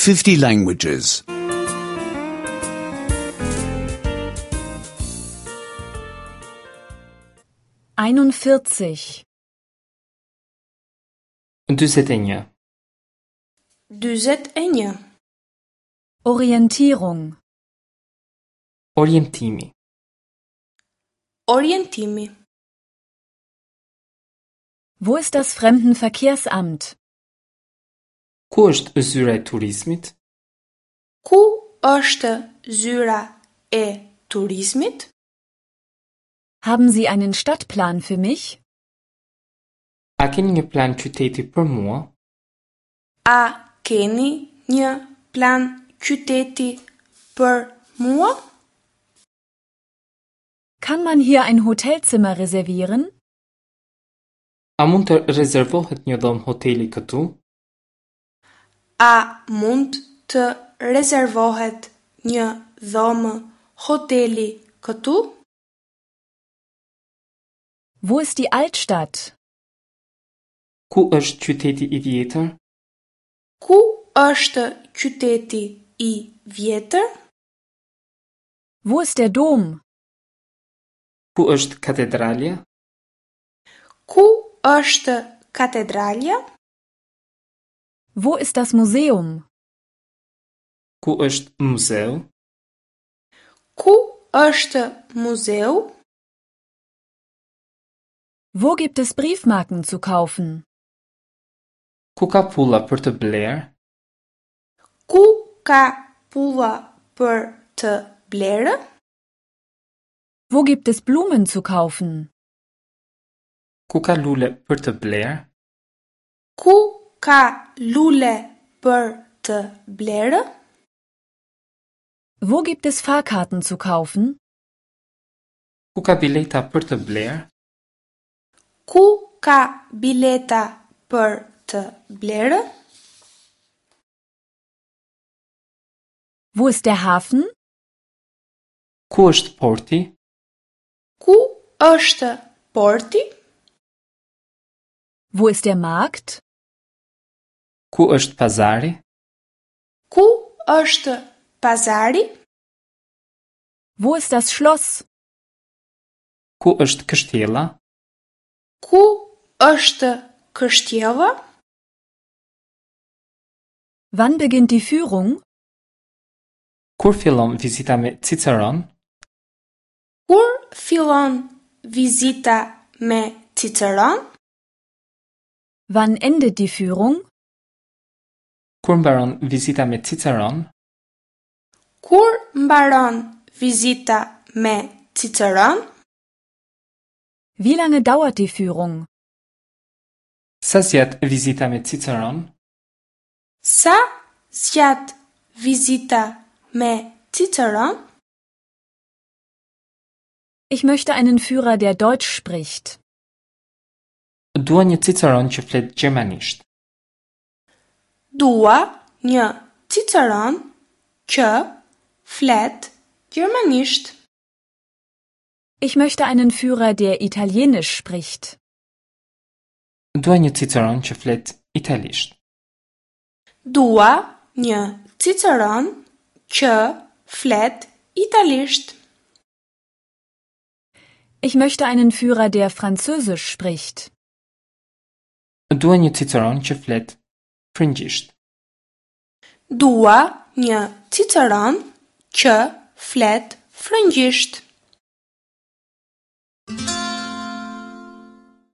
50 languages. 41. 41. 41. Orientierung. Orientimi. Orientimi. Wo ist das Fremdenverkehrsamt? Ku është zyra e turizmit? Ku është zyra e turizmit? Haben Sie einen Stadtplan für mich? A keni një plan qyteti për mua? A keni një plan qyteti për mua? Kann man hier ein Hotelzimmer reservieren? A mund të rezervohet një dhomë hoteli këtu? A mund të rezervohet një dhomë hoteli këtu? Wo ist die Altstadt? Ku është qyteti i vjetër? Ku është qyteti i vjetër? Wo ist der Dom? Ku është katedralja? Ku është katedralja? Wo ist das Museum? Ku është muzeu? Ku është muzeu? Wo gibt es Briefmarken zu kaufen? Ku ka pulla për të blerë? Ku ka pulla për të blerë? Wo gibt es Blumen zu kaufen? Ku ka lule për të blerë? Ku ka lule për të blerë? Wo gibt es Fahrkarten zu kaufen? Ku ka bileta për të blerë? Ku ka bileta për të blerë? Wo ist der Hafen? Ku është porti? Ku është porti? Wo ist der Markt? Ku është pazari? Ku është pazari? Wo ist das Schloss? Ku është kështjella? Ku është kështjella? Wann beginnt die Führung? Kur fillon vizita me Ciceron? Kur fillon vizita me Ciceron? Wann endet die Führung? Kur mbaron vizita me Ciceron? Kur mbaron vizita me Ciceron? Wie lange dauert die Führung? Sa zgjat vizita me Ciceron? Sa zgjat vizita me Ciceron? Ich möchte einen Führer, der Deutsch spricht. Dua një Ciceron që flet gjermanisht. Dua një Ciceron që flet gjermanisht. Ich möchte einen Führer, der Italienisch spricht. Dua një Ciceron që flet italisht. Dua një Ciceron që flet italisht. Ich möchte einen Führer, der Französisch spricht. Dua një Ciceron që flet frëngjisht. Dua një Ciceron që flet frëngjisht.